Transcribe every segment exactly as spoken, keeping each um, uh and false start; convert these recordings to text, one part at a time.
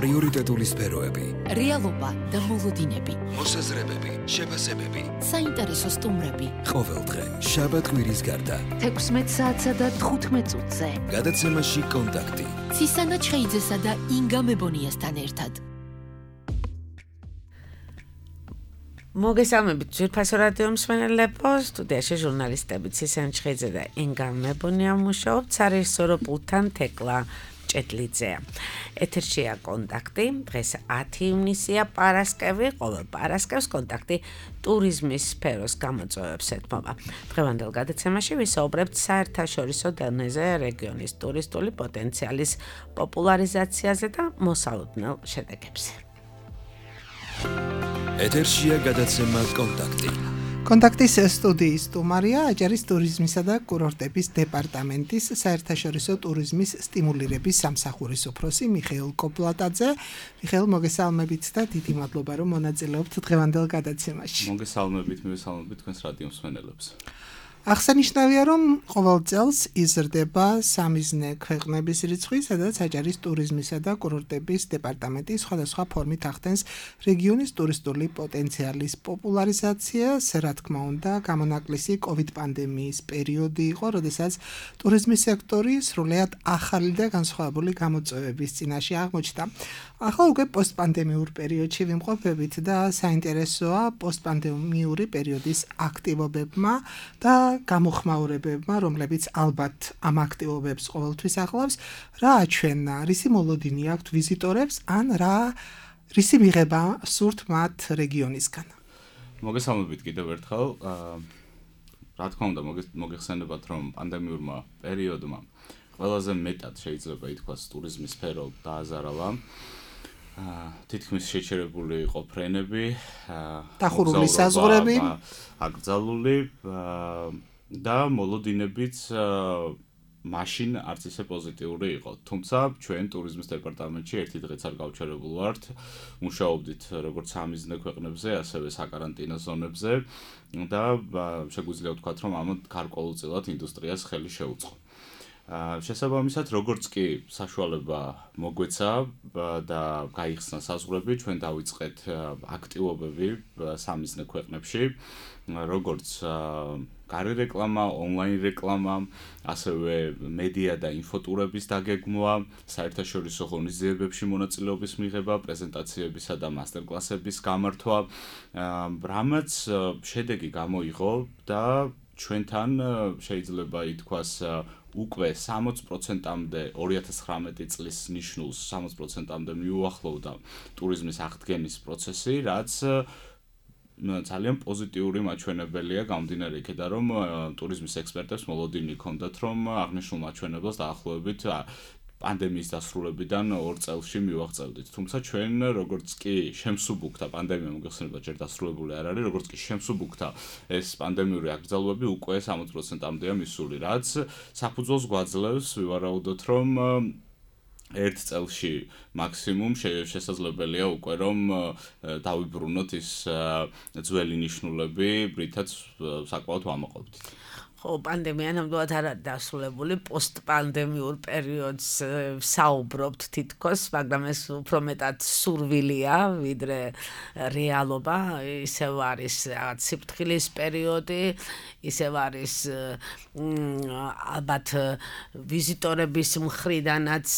პრიორიტეტული სფეროები, რეალობა და მოლოდინები, მოსაზრებები, შეფასებები, საინტერესო სტუმრები. ყოველდღე შაბათ-კვირის გარდა თექვსმეტ საათსა და თხუთმეტ წუთზე. გადაცემაში კონტაქტი. ცისანა ჩხეიძესა და ინგა მებონიასთან ერთად. მოგესალმებით ძვირფასო რადიო მსმენელებო, სტუდიაში ჟურნალისტები ცისანა ჩხეიძე და ინგა მებონია მუშაობთ, სარეჟისორო პულტთან თეკლა ჭეტლიძეა. ეთერშია კონტაქტი, დღეს ათი ივნისია, პარასკევი, ყოველ პარასკევს კონტაქტი ტურიზმის სფეროს გამოწვევებს ეთმობა. დღევანდელ გადაცემაში ვისაუბრებთ საერთაშორისო დონეზე რეგიონის ტურისტული პოტენციალის პოპულარიზაციაზე და მოსალოდნელ შედეგებზე. ეთერშია გადაცემა კონტაქტი. კონტაქტის სტუდიის სტუმარია აჭარის ტურიზმისა და კურორტების დეპარტამენტის საერთაშორისო ტურიზმის სტიმულირების სამსახურის უფროსი მიხეილ კოპლატაძე. მიხეილ, მოგესალმებით და დიდი მადლობა რომ მონაწილეობთ დღევანდელ გადაცემაში. მოგესალმებით, მივესალმებით თქვენს რადიო მსმენელებს. აღსანიშნავია, რომ ყოველ წელს იზრდება სამიზნე ქვეყნების რიცხვი, სადაც აჭარის ტურიზმისა და კურორტების დეპარტამენტი სხვადასხვა ფორმით ახდენს რეგიონის ტურისტული პოტენციალის პოპულარიზაციას. რა თქმა უნდა, გამონაკლისი კოვიდ პანდემიის პერიოდი იყო, როდესაც ტურიზმის სექტორი სრულიად ახალი და განსხვავებული გამოწვევების წინაშე აღმოჩნდა. ახლა უკვე პოსტპანდემიურ პერიოდში ვიმყოფებით და საინტერესოა პოსტპანდემიური პერიოდის აქტივობებმა და გამოხმაურებებმა, რომლებიც ალბათ ამ აქტივობებს ყოველთვის ახლავს, რა აჩვენა, რისი მოლოდინი აქვთ ვიზიტორებს, ან რა რისი მიღება სურთ მათ რეგიონისგან. მოგესალმებით კიდევ ერთხელ. რა თქმა უნდა, მოგეხსენებათ, რომ პანდემიურმა პერიოდმა ყველაზე მეტად შეიძლება ითქვას ტურიზმის სფერო დააზარალა. თითქმის შეჩერებული იყო ფრენები, დახურული საზღვრები, აკრძალული და მოლოდინებიც მაშინ არც ისე პოზიტიური იყო. თუმცა ჩვენ ტურიზმის დეპარტამენტში ერთი დღეც არ გავჩერებულ ვართ. მუშაობდით როგორც სამიზნე ქვეყნებზე, ასევე საკარანტინო ზონებზე და შეგვიძლია ვთქვათ, რომ ამ გარკვეულწილად ინდუსტრიას ხელი შეუწყო. შესაბამისად, როგორც კი საშუალება მოგვეცა და გაიხსნა საზღვრები, ჩვენ დავიწყეთ აქტივობები სამიზნე ქვეყნებში, როგორც გარე რეკლამა, ონლაინ რეკლამა, ასევე მედია და ინფოტურების დაგეგმვა, საერთაშორისო ღონისძიებებში მონაწილეობის მიღება, პრეზენტაციებისა და მასტერკლასების გამართვა, რამაც შედეგი გამოიღო და ჩვენთან შეიძლება ითქვას უკვე სამოც პროცენტამდე ორი ათას ცხრამეტი წლის ნიშნულს სამოც პროცენტამდე მიუახლოვდა ტურიზმის აღდგენის პროცესი, რაც ძალიან პოზიტიური მაჩვენებელია გამომდინარე იქედან, რომ ტურიზმის ექსპერტებს მოლოდინი ჰქონდათ, რომ აღნიშნულ მაჩვენებელს დაახლოებით პანდემიის დასრულებიდან ორ წელში მივაღწევდით. თუმცა ჩვენ როგორც კი შემსუბუქდა პანდემია, მოგეხსენებათ, ჯერ დასრულებული არ არის, როგორც კი შემსუბუქდა ეს პანდემიური აკრძალვები, უკვე სამოც პროცენტამდეა მისული, რაც საფუძველს გვაძლევს ვივარაუდოთ, რომ ერთ წელში მაქსიმუმ შესაძლებელია უკვე რომ დავიბრუნოთ ის ძველი ნიშნულები, რითაც საკმაოდ ვამაყობდით. ხო, პანდემია ნამდვილად არ არის დასრულებული, პოსტპანდემიურ პერიოდს საუბრობთ თითქოს, მაგრამ ეს უფრო მეტად სურვილია, ვიდრე რეალობა. ისევ არის რაღაც სიფრთხილის პერიოდი, ისევ არის ალბათ ვიზიტორების მხრიდანაც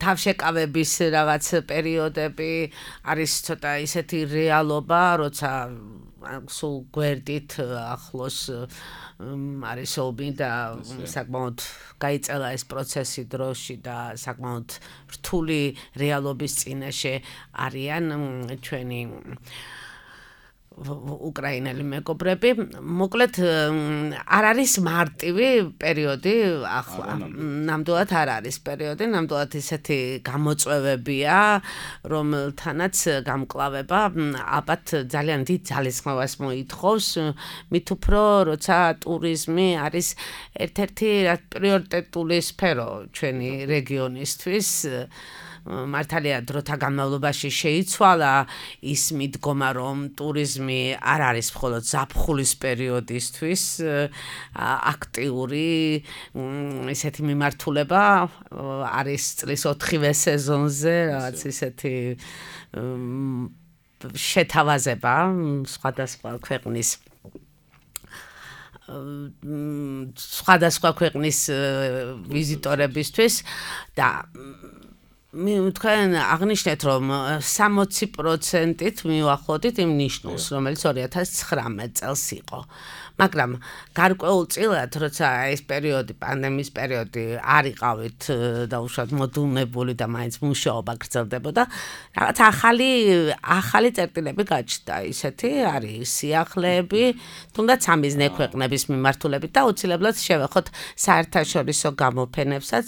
თავშეკავების რაღაც პერიოდები, არის ცოტა ისეთი რეალობა, როცა სულ გვერდით ახლოს არის ომი და საკმაოდ გაიწელა ეს პროცესი დროში და საკმაოდ რთული რეალობის წინაშე არიან ჩვენი უკრაინელი მეგობრები. მოკლედ არ არის მარტივი პერიოდი ახლა. ნამდვილად არ არის პერიოდი, ნამდვილად ისეთი გამოწვევებია, რომელთანაც გამკლავება ალბათ ძალიან დიდ ძალისხმევას მოითხოვს, მით უფრო როცა ტურიზმი არის ერთ-ერთი პრიორიტეტული სფერო ჩვენი რეგიონისთვის. მართალია დროთა განმავლობაში შეიცვალა ის მიდგომა, რომ ტურიზმი არ არის მხოლოდ ზაფხულის პერიოდისთვის აქტიური ისეთი მიმართულება, არის წლის ოთხივე სეზონზე, რაღაც ისეთი შეთავაზება სხვადასხვა ქვეყნის სხვადასხვა ქვეყნის ვიზიტორებისთვის და თქვენ აღნიშნეთ, რომ სამოცი პროცენტით მივახოდით იმ ნიშნულს, რომელიც ორი ათას ცხრამეტ წელს იყო. მაგრამ გარკვეულწილად, როცა ეს პერიოდი, პანდემიის პერიოდი არ იყავით დაუშვათ მოდულნებული და მაინც მუშაობა გრძელდებოდა, რაღაც ახალი ახალი წერტილები გაჩნდა, ისეთი არის სიახლეები, თუნდაც სამიზნე ქვეყნების მიმართულებით და აუცილებლად შევეხოთ საერთაშორისო გამოფენებსაც,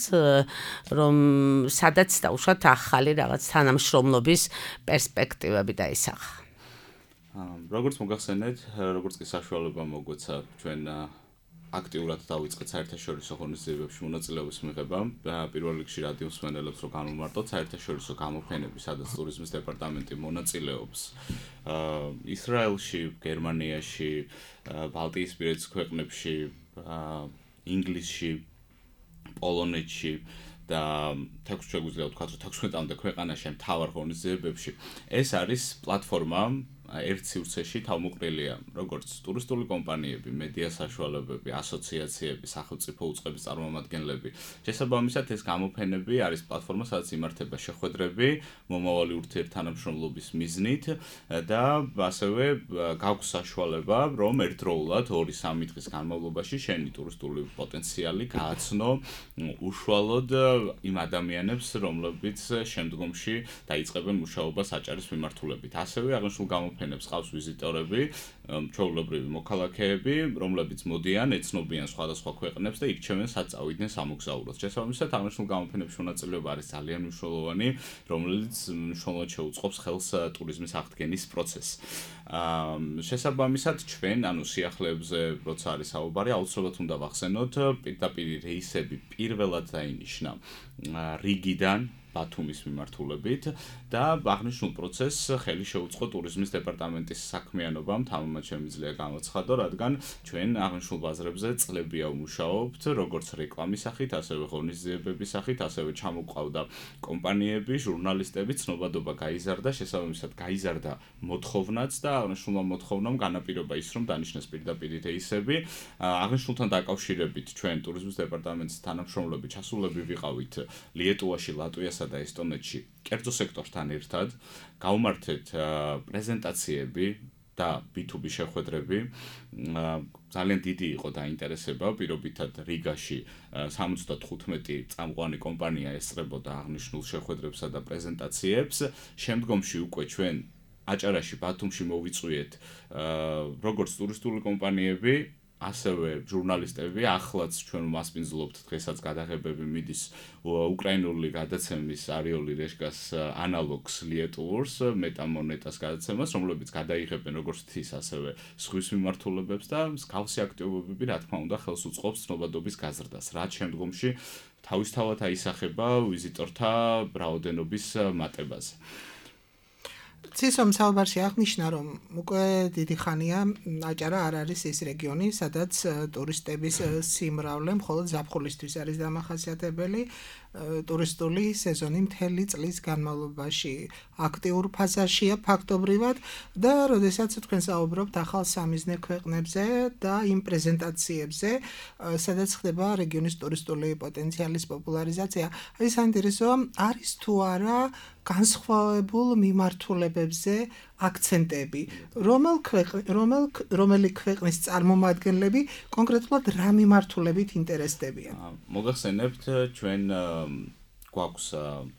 რომ სადაც დაუშვათ ახალი რაღაც თანამშრომლობის პერსპექტივები დაისახა. როგორც მოგახსენეთ, როგორც კი საშუალება მოგვეცა ჩვენ აქტიურად დავიწყეთ საერთაშორისო ღონისძიებებში მონაწილეობის მიღება, პირველ რიგში რადიო მსმენელებს რო განვმარტოთ საერთაშორისო გამოფენები, სადაც ტურიზმის დეპარტამენტი მონაწილეობს ისრაელში, გერმანიაში, ბალტიისპირეთის ქვეყნებში, ინგლისში, პოლონეთში და თექვსი შეგვიძლია ვთქვათ, რომ თექვსმეტამდე ქვეყანაში მთავარ ღონისძიებებში ეს არის პლატფორმა ერთ სივრცეში თავმოყრილია როგორც ტურისტული კომპანიები, მედია საშუალებები, ასოციაციები, სახელმწიფო უწყების წარმომადგენლები. შესაბამისად, ეს გამოფენები არის პლატფორმა, სადაც იმართება შეხვედრები, მომავალი ურთიერთთანამშრომლობის მიზნით და ასევე გაქვს საშუალება, რომ ერთდროულად ორი სამი დღის განმავლობაში შენი ტურისტული პოტენციალი გააცნო უშუალოდ იმ ადამიანებს, რომლებიც შემდგომში დაიწყებენ მუშაობას აჭარის მიმართულებით. ასევე აღნიშნულ გამოფენებს ყავს ვიზიტორები, ჩვეულებრივი მოქალაქეები, რომლებიც მოდიან, ეცნობიან სხვადასხვა ქვეყნებს და ირჩევენ სად წავიდნენ სამოგზაუროდ. შესაბამისად, აღნიშნულ გამოფენებში მონაწილეობა არის ძალიან მნიშვნელოვანი, რომელიც მნიშვნელოვნად შეუწყობს ხელს ტურიზმის აღდგენის პროცესს. შესაბამისად, ჩვენ, ანუ სიახლეებზე, როცა არის საუბარი, აუცილებლად უნდა ვახსენოთ, პირდაპირ რეისები პირველად დაინიშნა რიგიდან ბათუმის მიმართულებით და აღნიშნულ პროცესს ხელი შეუწყო ტურიზმის დეპარტამენტის საქმიანობამ, თამამად შემიძლია გამოცხადო, რადგან ჩვენ აღნიშნულ ბაზრებზე წლებია ვმუშაობთ, როგორც რეკლამის სახით, ასევე ღონისძიებების სახით, ასევე ჩამოყავდა კომპანიები, ჟურნალისტები, ცნობადობა გაიზარდა, შესაბამისად გაიზარდა მოთხოვნაც და აღნიშნულმა მოთხოვნამ განაპირობა ის, რომ დანიშნეს პირდაპირ რეისები. აღნიშნულთან დაკავშირებით ჩვენ ტურიზმის დეპარტამენტის თანამშრომლები ჩასულები ვიყავით ლიეტუვაში, ლატვიასა და ესტონეთში კერძო სექტორთან ერთად, გავმართეთ პრეზენტაციები და ბი თუ ბი შეხვედრები. ძალიან დიდი იყო დაინტერესება, პირობითად რიგაში სამოცდათხუთმეტი წამყვანი კომპანია ესწრებოდა აღნიშნულ შეხვედრებსა და პრეზენტაციებს. შემდგომში უკვე ჩვენ აჭარაში, ბათუმში მოვიწვიეთ როგორც ტურისტული კომპანიები, ასევე ჟურნალისტები, ახლაც ჩვენ მასპინძლობთ, დღესაც გადაღებები მიდის უკრაინული გადაცემის არიოლი რეშკას ანალოგს ლიეტუვორს, მეტამონეტას გადაცემას, რომლებიც გადაიღებენ როგორც თის, ასევე ზღვის მიმართულებებს და მსგავსი აქტივობები, რა თქმა უნდა, ხელს უწყობს ცნობადობის გაზრდას, რაც შემდგომში თავისთავად აისახება ვიზიტორთა რაოდენობის მატებაზე. ცისომ საუბარში აღნიშნა, რომ უკვე დიდი ხანია აჭარა არ არის ის რეგიონი, სადაც ტურისტების სიმრავლე მხოლოდ ზაფხულისთვის არის დამახასიათებელი. ტურისტული სეზონი მთელი წლის განმავლობაში აქტიურ ფაზაშია ფაქტობრივად და როდესაც თქვენ საუბრობთ ახალ სამიზნე ქვეყნებზე და იმ პრეზენტაციებზე, სადაც ხდება რეგიონის ტურისტული პოტენციალის პოპულარიზაცია, აი საინტერესო არის თუ არა განსხვავებულ მიმართულებებზე აქცენტები, რომელ რომელ რომელი ქვეყნის წარმომადგენლები კონკრეტულად რა მიმართულებით ინტერესდებიან. მოგახსენებთ ჩვენ გვაქვს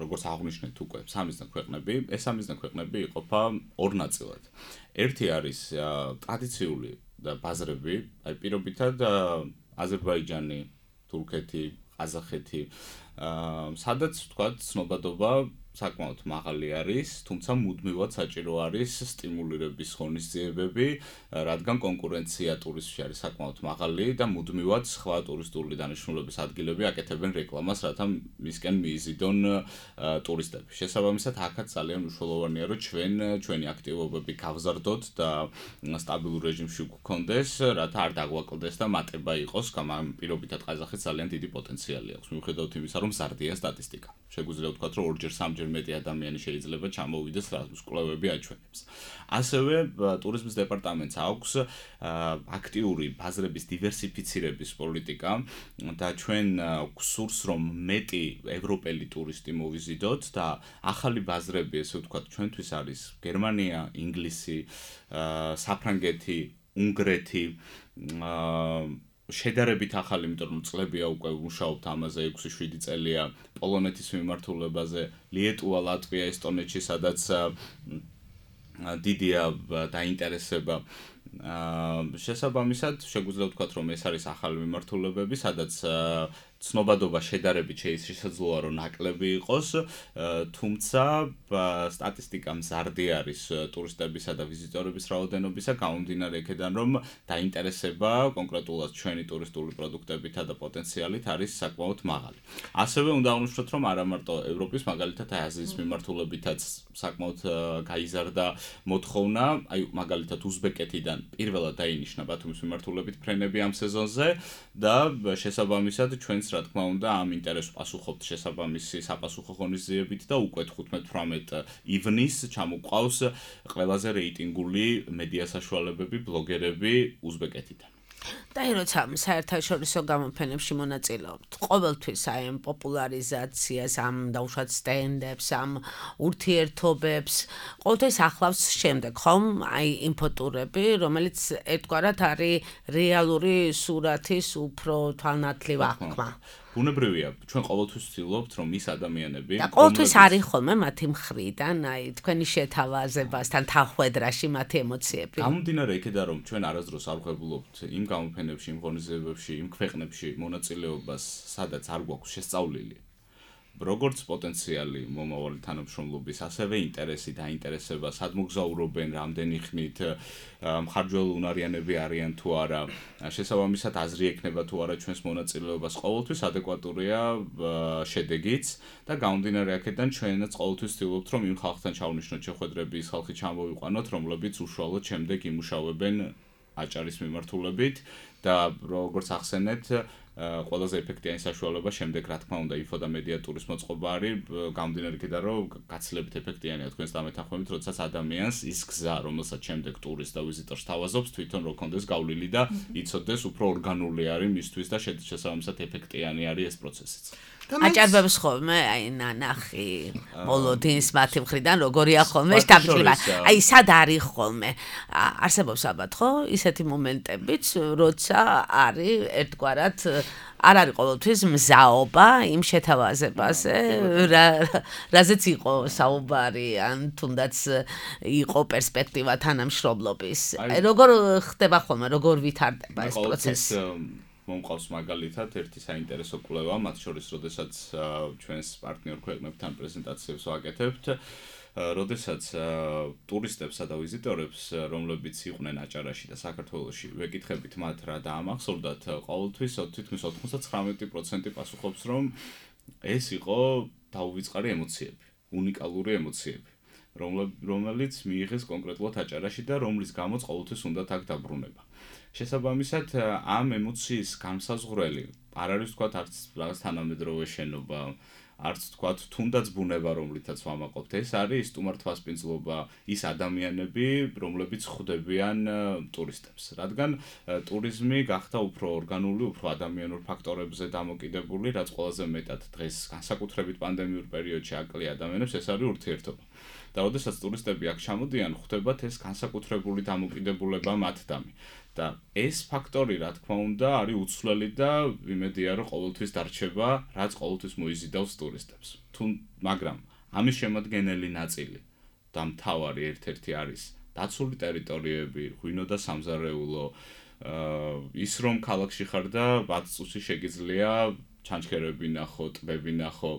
როგორც აღნიშნეთ უკვე სამიზნე ქვეყნები, ეს სამიზნე ქვეყნები იყოფა ორ ნაწილად. ერთი არის ტრადიციული ბაზრები, აი პირობითად აზერბაიჯანი, თურქეთი, ყაზახეთი, სადაც თქვათ ცნობადობა საკმაოდ მაღალი არის, თუმცა მუდმივად საჭირო არის სტიმულირების ღონისძიებები, რადგან კონკურენცია ტურიზმში არის საკმაოდ მაღალი და მუდმივად სხვა ტურისტული დანიშნულების ადგილები აკეთებენ რეკლამას, რათა მისკენ მიიზიდონ ტურისტები. შესაბამისად, აქაც ძალიან მნიშვნელოვანია, რომ ჩვენ ჩვენი აქტივობები გავზარდოთ და სტაბილურ რეჟიმში გვქონდეს, რათა არ დაგვაკლდეს და მატება იყოს, ამ პირობითად ყაზახეთს ძალიან დიდი პოტენციალი აქვს, მიუხედავად იმისა, რომ მზარდია სტატისტიკა. შეგვიძლია ვთქვათ, რომ ორჯერ სამჯერ მეტი ადამიანი შეიძლება ჩამოვიდეს რაზმის კვლევები აჩვენებს. ასევე ტურიზმის დეპარტამენტს აქვს აქტიური ბაზრების დივერსიფიცირების პოლიტიკა და ჩვენ გვსურს, რომ მეტი ევროპელი ტურისტი მოვიზიდოთ და ახალი ბაზრები, ესე ვთქვათ, ჩვენთვის არის გერმანია, ინგლისი, საფრანგეთი, უნგრეთი, შედარებით ახალი, იმიტომ რომ წლებია უკვე ვმუშაობთ ამაზე, ექვსი შვიდი წელია პოლონეთის მიმართულებაზე, ლიეტუვა, ლატვია, ესტონეთში, სადაც დიდია დაინტერესება. შესაბამისად, შეგვიძლია ვთქვათ, რომ ეს არის ახალი მიმართულებები, სადაც ცნობადობა შედარებით შესაძლოა, რომ ნაკლები იყოს, თუმცა სტატისტიკა მზარდი არის ტურისტებისა და ვიზიტორების რაოდენობისა, გამომდინარე იქედან, რომ დაინტერესება კონკრეტულად ჩვენი ტურისტული პროდუქტებითა და პოტენციალით არის საკმაოდ მაღალი. ასევე უნდა აღვნიშნოთ, რომ არა მარტო ევროპის, მაგალითად აზიის მიმართულებითაც საკმაოდ გაიზარდა მოთხოვნა, აი მაგალითად უზბეკეთიდან პირველად დაინიშნა ბათუმის მიმართულებით ფრენები ამ სეზონზე და შესაბამისად ჩვენს რა თქმა უნდა ამ ინტერესს პასუხობთ შესაბამისი საპასუხო ღონისძიებით და უკვე თხუთმეტ-თვრამეტ ივნის ჩამოყავს ყველაზე რეიტინგული მედია საშუალებები, ბლოგერები უზბეკეთიდან. და როცა საერთაშორისო გამოფენებში მონაწილეობთ, ყოველთვის აი ამ პოპულარიზაციას, ამ დაუშვათ სტენდებს, ამ ურთიერთობებს, ყოველთვის ახლავს შემდეგ, ხომ? აი ინფოტურები, რომელიც ერთგვარად არის რეალური სურათის უფრო თვალნათლივ აღქმა. ბუნებრივია, ჩვენ ყოველთვის ვცდილობთ, რომ ის ადამიანები და ყოველთვის არის ხოლმე მათი მხრიდან, აი თქვენი შეთავაზებასთან თანხwebdriverში მათი ემოციები. გამომდინარე იქედან, რომ ჩვენ არასდროს არ ვღებულობთ იმ გამოფენებში, იმ ღონისძიებებში, იმ ქვეყნებში მონაწილეობას, სადაც არ გვაქვს შესწავლილი. როგორც პოტენციალი მომავალი თანამშრომლობის, ასევე ინტერესი და ინტერესება, სად მოგზაურობენ, რამდენი ხნით, მხარჯველუნარიანები არიან თუ არა, შესაბამისად აზრი ექნება თუ არა ჩვენს მონაწილეობას, ყოველთვის ადეკვატურია შედეგიც და გამომდინარე აქედან ჩვენაც ყოველთვის ვცდილობთ, რომ იმ ხალხთან ჩავნიშნოთ შეხვედრები, ის ხალხი ჩამოვიყვანოთ, რომლებიც უშუალოდ შემდეგ იმუშავებენ აჭარის მიმართულებით და როგორც ახსენეთ, ყველაზე ეფექტიანი საშუალება შემდეგ რა თქმა უნდა ინფო და მედია ტურის მოწყობა არის, გამომდინარე იქედან, რომ გაცილებით ეფექტიანია თქვენს დამეთანხმებით, როდესაც ადამიანს ის გზა, რომელსაც შემდეგ ტურისტს და ვიზიტორს თავაზობს, თვითონ რო კონდეს გავლილი და იცოდეს უფრო ორგანული არის მისთვის და შესაბამისად ეფექტიანი არის ეს პროცესიც. აჭარბებს ხოლმე, აი ნანახი, მოლოდინს მათი მხრიდან როგორია ხოლმე შტაბ-ჩხილება. აი სად არის ხოლმე? არსებობს ალბათ ხო ისეთი მომენტებიც, როცა არის ერთგვარად არ არის ყოველთვის მზაობა იმ შეთავაზებაზე, რაზეც იყო საუბარი, ან თუნდაც იყო პერსპექტივა თანამშრომლობის. აი როგორ ხდება ხოლმე, როგორ ვითარდება ეს პროცესი? მომყავს მაგალითად ერთი საინტერესო კვლევა, მათ შორის, როდესაც ჩვენს პარტნიორ ქვეყნებთან პრეზენტაციებს ვაკეთებთ, როდესაც ტურისტებსა და ვიზიტორებს, რომლებიც იყვნენ აჭარაში და საქართველოში, ვეკითხებით მათ რა დაამახსოვრდათ, ყოველთვის თითქმის ოცდათხმეტი პროცენტი პასუხობს, რომ ეს იყო დაუვიწყარი ემოციები, უნიკალური ემოციები, რომელიც მიიღეს კონკრეტულად აჭარაში და რომლის გამოც ყოველთვის უნდათ აქ დაბრუნება. შესაბამისად, ამ ემოციის განსაზღვრელი არ არის თქვათ არც რაღაც თანამედროვე შენობა, არც თქვათ თუნდაც ბუნება, რომლითაც ვამაყობთ. ეს არის სტუმართვასპინძლობა, ის ადამიანები, რომლებიც ხვდებიან ტურისტებს. რადგან ტურიზმი გახდა უფრო ორგანული, უფრო ადამიანურ ფაქტორებზე დამოკიდებული, რაც ყველაზე მეტად დღეს განსაკუთრებით პანდემიურ პერიოდში აკლია ადამიანებს, ეს არის ურთიერთობა. და როდესაც ტურისტები აქ ჩამოდიან, ხვდებათ ეს განსაკუთრებული დამოკიდებულება მათდამი. და ეს ფაქტორი, რა თქმა უნდა, არის უცვლელი და იმედია, რომ ყოველთვის დარჩება, რაც ყოველთვის მოიზიდავს ტურისტებს. თუ მაგრამ ამის შემადგენელი ნაწილი და მთავარი ერთ-ერთი არის დაცული ტერიტორიები, ღვინო და სამზარეულო, ის რომ ქალაქში ხარ და ბაც წუთში შეგიძლია ჩანჩქერები ნახო, ტბები ნახო.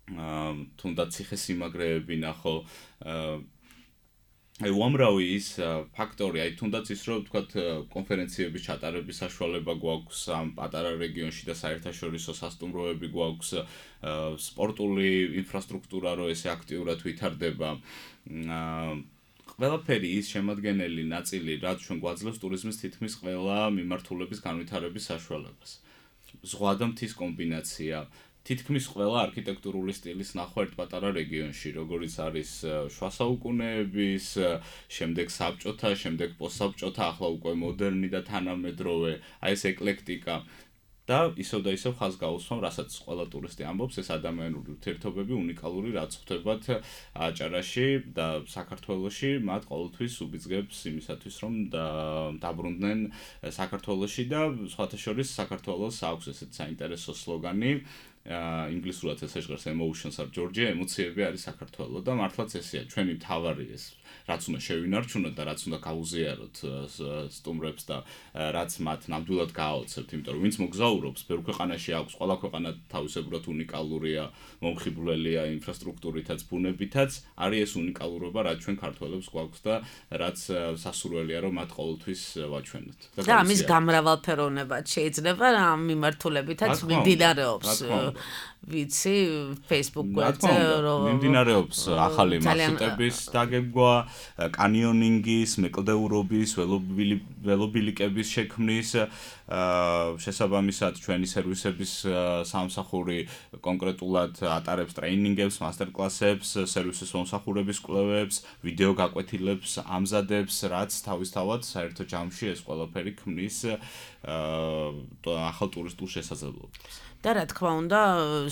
თუნდაც ციხესიმაგრეები ნახო აი უამრავი ის ფაქტორი, აი თუნდაც ის რომ ვთქვათ კონფერენციების ჩატარების საშუალება გვაქვს ამ პატარა რეგიონში და საერთაშორისო სასტუმროები გვაქვს, სპორტული ინფრასტრუქტურა რო ესე აქტიურად ვითარდება. ყველაფერი ის შემადგენელი ნაწილი, რაც ჩვენ გვაძლევს ტურიზმის თითქმის ყველა მიმართულების განვითარების საშუალებას. ზღვა და მთის კომბინაცია თითქმის ყველა არქიტექტურული სტილის ნახვა ერთ პატარა რეგიონში, როგორიც არის შუა საუკუნეების, შემდეგ საბჭოთა, შემდეგ პოსტსაბჭოთა, ახლა უკვე მოდერნი და თანამედროვე, აი ეს ეკლექტიკა და ისევ და ისევ ხაზს გაუსვამ, რასაც ყველა ტურისტი ამბობს, ეს ადამიანური ურთიერთობები უნიკალური რაც ხვდებათ აჭარაში და საქართველოში, მათ ყოველთვის უბიძგებს იმისათვის, რომ დაბრუნდნენ საქართველოში და სხვათა შორის საქართველოს აქვს ესეთ საინტერესო სლოგანი ინგლისურად ეს ეჟღერს emotions are Georgia, ემოციები არის საქართველო და მართლაც ესეა, ჩვენი მთავარი ეს რაც უნდა შევინარჩუნოთ და რაც უნდა გავუზიაროთ სტუმრებს და რაც მათ ნამდვილად გააოცებთ, იმიტომ რომ ვინც მოგზაურობს, ბევრ ქვეყანაში აქვს, ყველა ქვეყანა თავისებურად უნიკალურია, მომხიბვლელია ინფრასტრუქტურითაც, ბუნებითაც, არის ეს უნიკალურობა, რაც ჩვენ ქართველებს გვაქვს და რაც სასურველია, რომ მათ ყოველთვის ვაჩვენოთ. და ამის გამრავალფეროვნებაც შეიძლება ამ მიმართულებითაც მიმდინარეობს. ვიცი, Facebook გვერდზე რომ მიმდინარეობს ახალი მარშრუტების დაგეგმვა, კანიონინგის, მეკლდეურობის, ველობილიკების შექმნის, შესაბამისად ჩვენი სერვისების სამსახური კონკრეტულად ატარებს ტრეინინგებს, მასტერკლასებს, სერვისის მომსახურების კვლევებს, ვიდეო გაკვეთილებს ამზადებს, რაც თავისთავად საერთო ჯამში ეს ყველაფერი ქმნის ახალ ტურისტულ შესაძლებლობას. და რა თქმა უნდა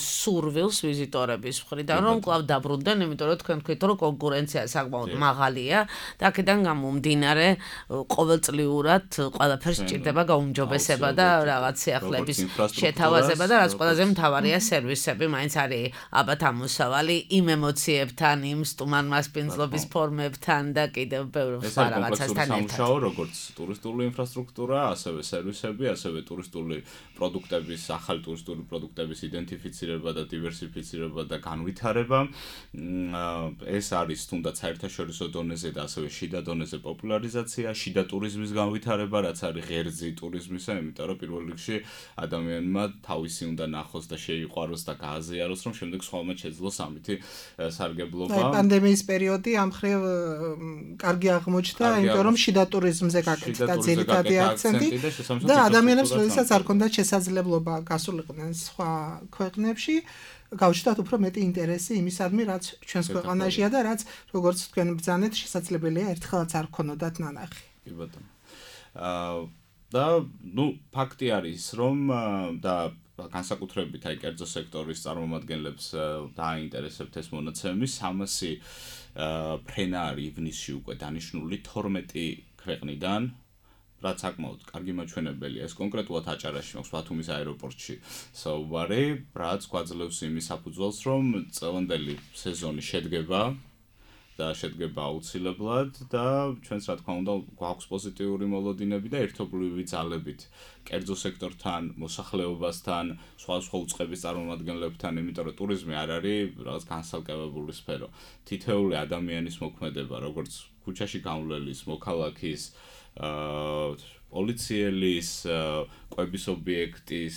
სურვილს ვიზიტორების მხრიდან რომ კვლავ დაბრუნდნენ, იმიტომ რომ თქვენ თქვით რომ კონკურენცია საკმაოდ მაღალია და აქედან გამომდინარე ყოველწლიურად ყველაფერს სჭირდება გაუმჯობესება და რაღაც სიახლეების შეთავაზება და რაც ყველაზე მთავარია სერვისები, მაინც არის აბათ ამოსავალი იმ ემოციებთან, იმ სტუმარ-მასპინძლობის ფორმებთან და კიდევ ბევრ რაღაცასთან ერთად. სამუშაო როგორც ტურისტული ინფრასტრუქტურა, ასევე სერვისები, ასევე ტურისტული პროდუქტების, ახალი ტურისტული პროდუქტების იდენტიფიცირება და დივერსიფიცირება და განვითარება. ეს არის თუნდაც საერთაშორისო დონეზე და ასევე შიდა დონეზე პოპულარიზაცია, შიდა ტურიზმის განვითარება, რაც არის ღერძი ტურიზმისა, იმიტომ რომ პირველ რიგში ადამიანმა თავისი უნდა ნახოს და შეიყვაროს და გააზიაროს, რომ შემდეგ სხვაობად შეძლოს ამითი სარგებლობა. პანდემიის პერიოდი ამ მხრივ კარგი აღმოჩნდა, იმიტომ რომ შიდა ტურიზმზე გაკეთდა ძირითადი აქცენტი და ადამიანებს როდესაც არ ქონდათ შესაძლებლობა გასულიყვნენ სხვა ქვეყნებში, გავჩნდათ უფრო მეტი ინტერესი იმისადმი, რაც ჩვენს ქვეყანაშია და რაც როგორც თქვენ ბრძანეთ, შესაძლებელია ერთხელაც არ ქონოდათ ნანახი. კი ბატონო. აა და ნუ ფაქტი არის, რომ და განსაკუთრებით აი კერძო სექტორის წარმომადგენლებს დააინტერესებთ ეს მონაცემი, სამასი ფრენა არის ივნისში უკვე დანიშნული თორმეტი ქვეყნიდან. რაც საკმაოდ კარგი მაჩვენებელია. ეს კონკრეტულად აჭარაში მაქვს ბათუმის აეროპორტში საუბარი, რაც გვაძლევს იმის საფუძველს, რომ წლევანდელი სეზონი შედგება და შედგება აუცილებლად და ჩვენს რა თქმა უნდა გვაქვს პოზიტიური მოლოდინები და ერთობლივი ძალებით კერძო სექტორთან, მოსახლეობასთან, სხვა სხვა უწყების წარმომადგენლებთან, იმიტომ რომ ტურიზმი არ არის რაღაც განსაკუთრებული სფერო. თითოეული ადამიანის მოქმედება, როგორც ქუჩაში გამვლელის, მოქალაქის პოლიციელის, კვების ობიექტის,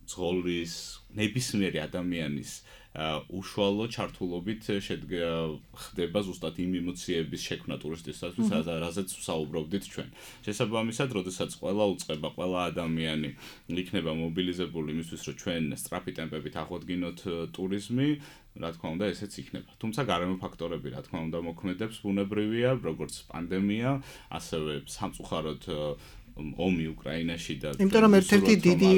ძღოლის, ნებისმიერი ადამიანის უშუალო ჩართულობით ხდება ზუსტად იმ ემოციების შექმნა ტურისტისათვის, რაზეც ვსაუბრობდით ჩვენ. შესაბამისად, როდესაც ყველა უწყება, ყველა ადამიანი იქნება მობილიზებული იმისთვის, რომ ჩვენ სწრაფი ტემპებით აღვადგინოთ ტურიზმი, რა თქმა უნდა, ესეც იქნება. თუმცა გარემო ფაქტორები, რა თქმა უნდა, მოქმედებს, ბუნებრივია, როგორც პანდემია, ასევე სამწუხაროდ ომი უკრაინაში და იმიტომ რომ ერთ-ერთი დიდი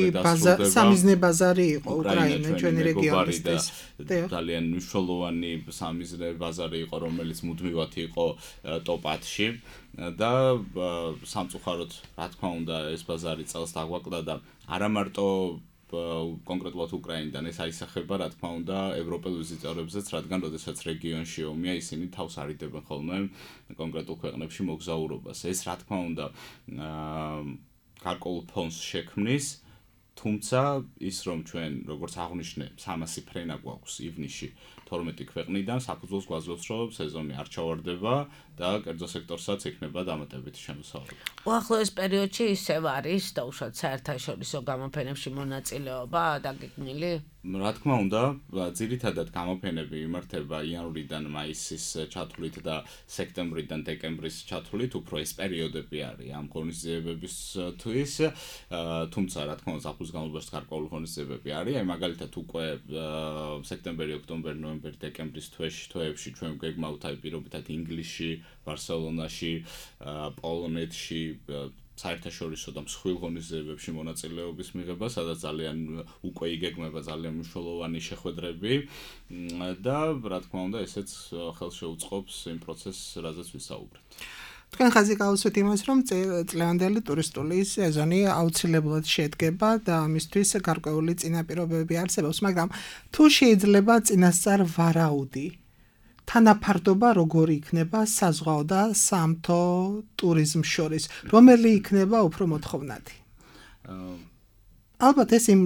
სამიზნე ბაზარი იყო უკრაინა ჩვენი რეგიონისთვის. ძალიან მნიშვნელოვანი სამიზნე ბაზარი იყო, რომელიც მუდმივად იყო ტოპ-ათში და სამწუხაროდ, რა თქმა უნდა, ეს ბაზარი წელს დაგვაკლდა და არა მარტო კონკრეტულად უკრაინიდან ეს აისახება, რა თქმა უნდა, ევროპელ ვიზიტორებზეც, რადგან როდესაც რეგიონში ომია, ისინი თავს არიდებენ ხოლმე კონკრეტულ ქვეყნებში მოგზაურობას. ეს, რა თქმა უნდა, გარკვეულ ფონს შექმნის თუმცა ის რომ ჩვენ როგორც აღვნიშნე სამასი ფრენა გვაქვს ივნისში თორმეტი ქვეყნიდან საფუძველს გვაძლევს რომ სეზონი არ ჩავარდება და კერძო სექტორსაც იქნება დამატებითი შემოსავალი. უახლოეს პერიოდში ისევ არის დაუშვათ საერთაშორისო გამოფენებში მონაწილეობა დაგეგმილი? რა თქმა უნდა, ძირითადად გამოფენები იმართება იანვრიდან მაისის ჩათვლით და სექტემბრიდან დეკემბრის ჩათვლით, უფრო ეს პერიოდები არის ამ ღონისძიებებისთვის, თუმცა რა თქმა უნდა ზაფხულის განმავლობაში გარკვეული ღონისძიებები არის, აი მაგალითად უკვე სექტემბერი, ოქტომბერი, ნოემბერი, დეკემბრის თვეში, თვეებში ჩვენ გეგმავთ აი პირობითად ინგლისში, ბარსელონაში, პოლონეთში საერთაშორისო და მსხვილ ღონისძიებებში მონაწილეობის მიღება, სადაც ძალიან უკვე იგეგმება ძალიან მნიშვნელოვანი შეხვედრები და რა თქმა უნდა ესეც ხელს შეუწყობს იმ პროცესს, რაზეც ვისაუბრეთ. თქვენ ხაზი გავუსვით იმას, რომ წლევანდელი ტურისტული სეზონი აუცილებლად შედგება და ამისთვის გარკვეული წინაპირობები არსებობს, მაგრამ თუ შეიძლება წინასწარ ვარაუდი თანაფარდობა როგორი იქნება საზღვაო და სამთო ტურიზმს შორის, რომელი იქნება უფრო მოთხოვნადი? ალბათ ეს იმ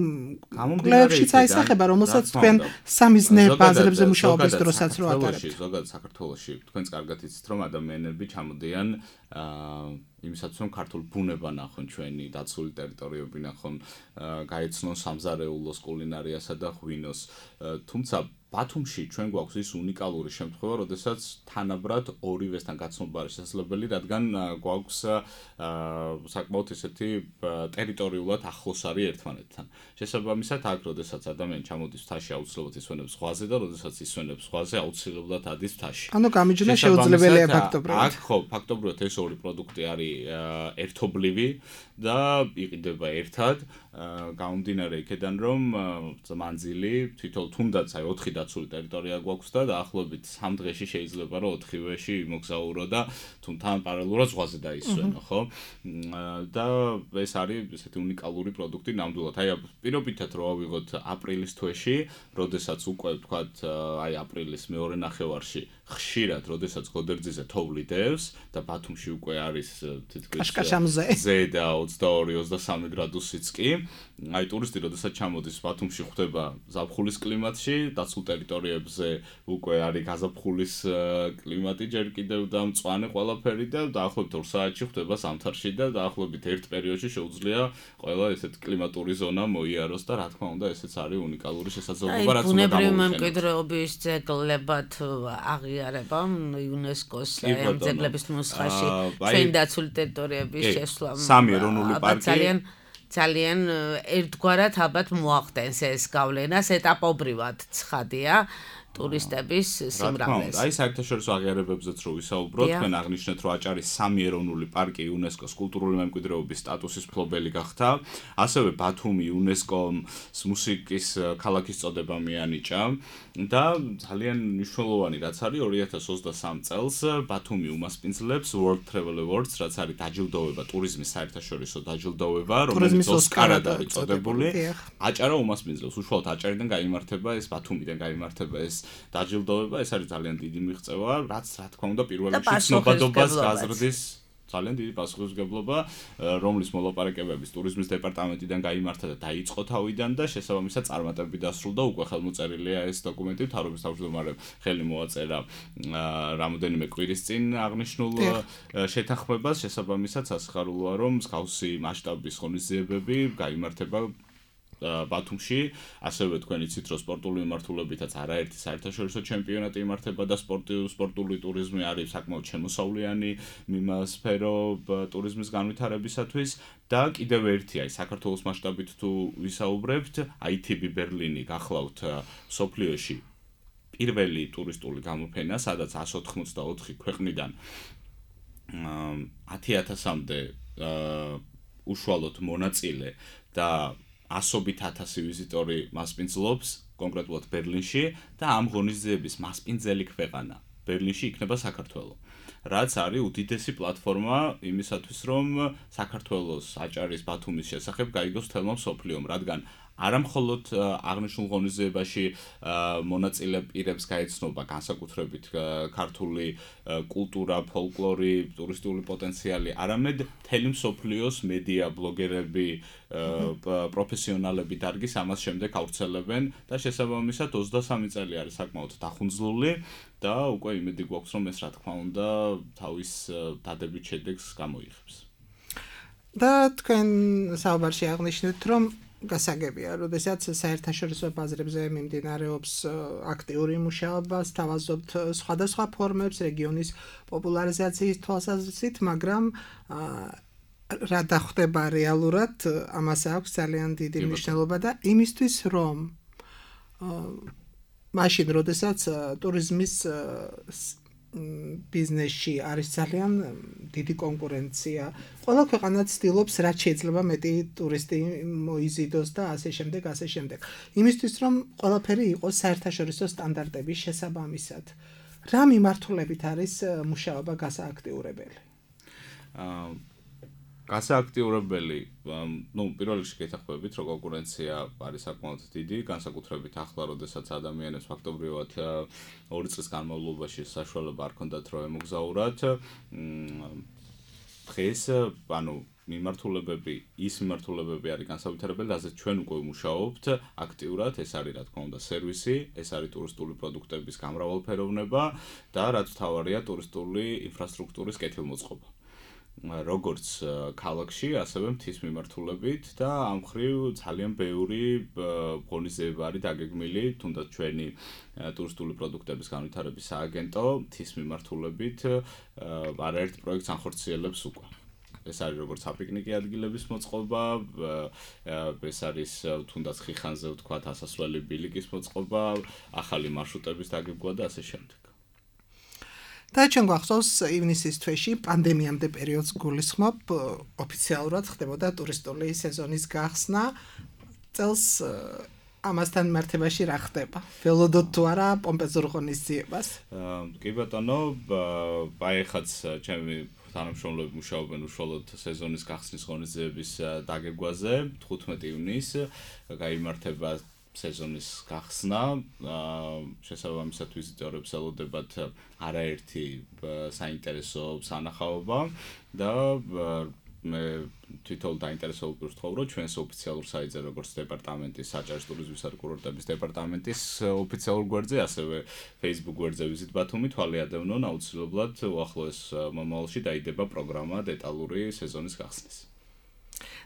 კვლევებშიც აისახება, რომელსაც თქვენ სამიზნე ბაზრებზე მუშაობის დროსაც რო ატარებთ. ზოგადად საქართველოში თქვენც კარგად იცით, რომ ადამიანები ჩამოდიან იმისათვის რომ ქართულ ბუნება ნახონ, ჩვენი დაცული ტერიტორიები ნახონ, გაეცნონ სამზარეულოს, კულინარიასა და ღვინოს. თუმცა ბათუმში ჩვენ გვაქვს ის უნიკალური შემთხვევა, როდესაც თანაბრად ორივესთან გაცნობა არის შესაძლებელი, რადგან გვაქვს საკმაოდ ისეთი ტერიტორიულად ახლოს არის ერთმანეთთან. შესაბამისად, აქ როდესაც ადამიანი ჩამოდის მთაში, აუცილებლად ისვენებს ზღვაზე და როდესაც ისვენებს ზღვაზე, აუცილებლად ადის მთაში. ანუ გამიჯნა შეუძლებელია ფაქტობრივად. აქ ხო, ფაქტობრივად ეს ორი პროდუქტი არის ერთობლივი და იყიდება ერთად. გამომდინარე იქედან რომ მანძილი თითოეულ თუნდაც აი ოთხი დაცული ტერიტორია გვაქვს და დაახლოებით სამ დღეში შეიძლება რომ ოთხივეში მოგზაურო და თუნთან პარალელურად ზღვაზე დაისვენო, ხო? და ეს არის ესეთი უნიკალური პროდუქტი ნამდვილად. აი პირობითად რო ავიღოთ აპრილის თვეში, როდესაც უკვე ვთქვათ, აი აპრილის მეორე ნახევარში ხშირად, როდესაც გოდერძიზე თოვლი დევს და ბათუმში უკვე არის თითქმის ზე და ოცდაორი ოცდასამი გრადუსიც კი. აი ტურისტი როდესაც ჩამოდის ბათუმში ხვდება ზაფხულის კლიმატში, დაცულ ტერიტორიებზე უკვე არის გაზაფხულის კლიმატი ჯერ კიდევ და მწვანე ყველაფერი და დაახლოებით ორ საათში ხვდება ზამთარში და დაახლოებით ერთ პერიოდში შეუძლია ყველა ესეთ კლიმატური ზონა მოიაროს და რა თქმა უნდა ესეც არის უნიკალური შესაძლებლობა, რაც უნდა ბუნებრივი მემკვიდრეობის ძეგლებად აღიარება იუნესკოს ძეგლების ნუსხაში ჩვენ დაცული ტერიტორიების შესვლა სამი ეროვნული პარკი ძალიან ძალიან ერთგვარად ალბათ მოახდენს ეს გავლენას ეტაპობრივად ცხადია ტურისტების სიმრავლეს. აი საერთაშორისო აღიარებებზეც რო ვისაუბროთ, თქვენ აღნიშნეთ, რომ აჭარის სამი ეროვნული პარკი იუნესკოს კულტურული მემკვიდრეობის სტატუსის მფლობელი გახდა. ასევე ბათუმი იუნესკოს მუსიკის ქალაქის წოდება მიანიჭა და ძალიან მნიშვნელოვანი რაც არის ორი ათას ოცდასამ წელს ბათუმი უმასპინძლებს World Travel Awards, რაც არის დაჯილდოვება, ტურიზმის საერთაშორისო დაჯილდოვება, რომელიც ოსკარად არის წოდებული. აჭარა უმასპინძლებს, უშუალოდ აჭარიდან გაიმართება ეს ბათუმიდან გაიმართება ეს დაჯილდოვება, ეს არის ძალიან დიდი მიღწევა, რაც რა თქმა უნდა პირველ რიგში ცნობადობას გაზრდის ძალიან დიდი პასუხისმგებლობა, რომლის მოლაპარაკებების ტურიზმის დეპარტამენტიდან გაიმართა და დაიწყო თავიდან და შესაბამისად წარმატებით დასრულდა, უკვე ხელმოწერილია ეს დოკუმენტი, მთავრობის თავმჯდომარემ ხელი მოაწერა რამოდენიმე კვირის წინ აღნიშნულ შეთანხმებას, შესაბამისად სასიხარულოა, რომ მსგავსი მასშტაბის ღონისძიებები გაიმართება ბათუმში, ასევე თქვენ იცით, რომ სპორტული მიმართულებითაც არაერთი საერთაშორისო ჩემპიონატი იმართება და სპორტული სპორტული ტურიზმი არის საკმაოდ შემოსავლიანი სფერო ტურიზმის განვითარებისათვის და კიდევ ერთი აი საქართველოს მასშტაბით თუ ვისაუბრებთ, აი თი ბი ბერლინი გახლავთ სოფლიოში პირველი ტურისტული გამოფენა, სადაც εκατს ოთხმოცდაოთხი ქვეყნიდან ათი ათასამდე უშუალოდ მონაწილე და ასობით ათასი ვიზიტორი მასპინძლობს კონკრეტულად ბერლინში და ამ ღონისძიების მასპინძელი ქვეყანა ბერლინში იქნება საქართველო. რაც არის უდიდესი პლატფორმა იმისათვის, რომ საქართველოს აჭარის ბათუმის შესახებ გაიგოს თელმა მსოფლიომ, რადგან არა მხოლოდ აღნიშნულ ღონისძიებაში მონაწილე პირებს გაეცნობა განსაკუთრებით ქართული კულტურა, ფოლკლორი, ტურისტული პოტენციალი, არამედ მთელი მსოფლიოს მედია, ბლოგერები, პროფესიონალები დარგის ამას შემდეგ ავრცელებენ და შესაბამისად ოცდასამი წელი არის საკმაოდ დახუნძლული და უკვე იმედი გვაქვს რომ ეს რა თქმა უნდა თავის დადებით შედეგს გამოიღებს. და თქვენ საუბარში აღნიშნეთ რომ გასაგებია, როდესაც საერთაშორისო ბაზრებზე მიმდინარეობს აქტიური მუშაობა, სთავაზობთ სხვადასხვა ფორმებს რეგიონის პოპულარიზაციის თვალსაზრისით, მაგრამ რა დახვდება რეალურად, ამას აქვს ძალიან დიდი მნიშვნელობა და იმისთვის რომ მაშინ, როდესაც ტურიზმის ბიზნესში არის ძალიან დიდი კონკურენცია. Ყველა ქვეყანა ცდილობს რაც შეიძლება მეტი ტურისტი მოიზიდოს და ასე შემდეგ, ასე შემდეგ. იმისთვის რომ ყველაფერი იყოს საერთაშორისო სტანდარტების შესაბამისად. რა მიმართულებით არის მუშაობა გასააქტიურებელი? აა გასააქტიურებელი, ну, პირველ რიგში გეთახმებით, რომ კონკურენცია არის საკმაოდ დიდი, განსაკუთრებით ახლა, როდესაც ადამიანებს ფაქტობრივად ორი წლის განმავლობაში საშუალება არ ჰქონდათ რომ ემოგზაურათ. დღეს, ანუ მიმართულებები, ის მიმართულებები არის განსაკუთრებული, რაზეც ჩვენ უკვე ვმუშაობთ აქტიურად, ეს არის რა თქმა უნდა სერვისი, ეს არის ტურისტული პროდუქტების გამრავალფეროვნება და რაც მთავარია ტურისტული ინფრასტრუქტურის კეთილმოწყობა. როგორც ქალაქში, ასევე მთის მიმართულებით და ამ მხრივ ძალიან ბევრი ღონისძიება არის დაგეგმილი, თუნდაც ჩვენი ტურისტული პროდუქტების განვითარების სააგენტო მთის მიმართულებით არაერთ პროექტს ანხორციელებს უკვე. ეს არის როგორც საპიკნიკე ადგილების მოწყობა, ეს არის თუნდაც ხიხანზე ვთქვათ ასასვლელი ბილიკის მოწყობა, ახალი მარშრუტების დაგეგმვა და ასე შემდეგ. და ჩვენ გვახსოვს ივნისის თვეში პანდემიამდე პერიოდს გულისხმობ ოფიციალურად ხდებოდა ტურისტული სეზონის გახსნა. წელს ამასთან მართებაში რა ხდება? ველოდოთ თუ არა პომპეზურ ღონისძიებას? კი ბატონო, ბაიხაც ჩემი თანამშრომლები მუშაობენ უშუალოდ სეზონის გახსნის ღონისძიების დაგეგმვაზე. თხუთმეტი ივნისს გაიმართება სეზონის გახსნა, შესაბამისად ვიზიტორებს ელოდებათ არაერთი საინტერესო სანახაობა და მე თვითონ დაინტერესებული ვთხოვ, რომ ჩვენს ოფიციალურ საიტზე, როგორც დეპარტამენტის საჭირო ტურიზმისა და კურორტების დეპარტამენტის ოფიციალურ გვერდზე, ასევე Facebook გვერდზე ვიზიტ ბათუმი თვალე ადევნონ, აუცილებლად უახლოეს მომავალში დაიდება პროგრამა დეტალური სეზონის გახსნის.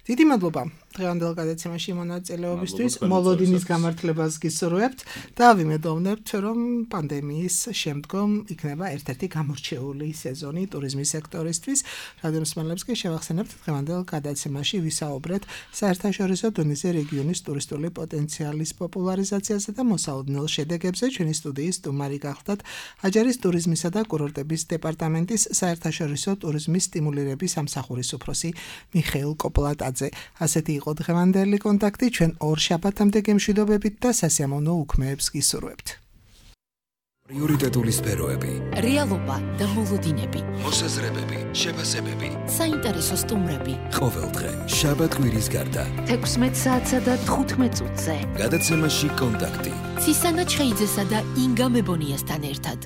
დიდი მადლობა დღევანდელ გადაცემაში მონაწილეობისთვის, მოლოდინის გამართლებას გისურვებთ და ვიმედოვნებთ, რომ პანდემიის შემდგომ იქნება ერთ-ერთი გამორჩეული სეზონი ტურიზმის სექტორისთვის. რადიო მსმენელებს კი შევახსენებთ დღევანდელ გადაცემაში ვისაუბრეთ საერთაშორისო დონეზე რეგიონის ტურისტული პოტენციალის პოპულარიზაციაზე და მოსაოდნელ შედეგებზე. ჩვენი სტუდიის სტუმარი გახლდათ აჯარის ტურიზმისა და კურორტების დეპარტამენტის საერთაშორისო ტურიზმის სტიმულირების სამსახურის უფროსი მიხეილ კოპლატაძე. ასეთი იყო დღევანდელი კონტაქტი, ჩვენ ორ შაბათამდე გემშვიდობებით და სასიამოვნო უქმეებს გისურვებთ. პრიორიტეტული სფეროები, რეალობა და მოლოდინები, მოსაზრებები, შეფასებები, საინტერესო სტუმრები. ყოველდღე, შაბათ-კვირის გარდა. თექვსმეტ საათსა და თხუთმეტ წუთზე. გადაცემაში კონტაქტი. ცისანა ჩხეიძესა და ინგა მებონიასთან ერთად.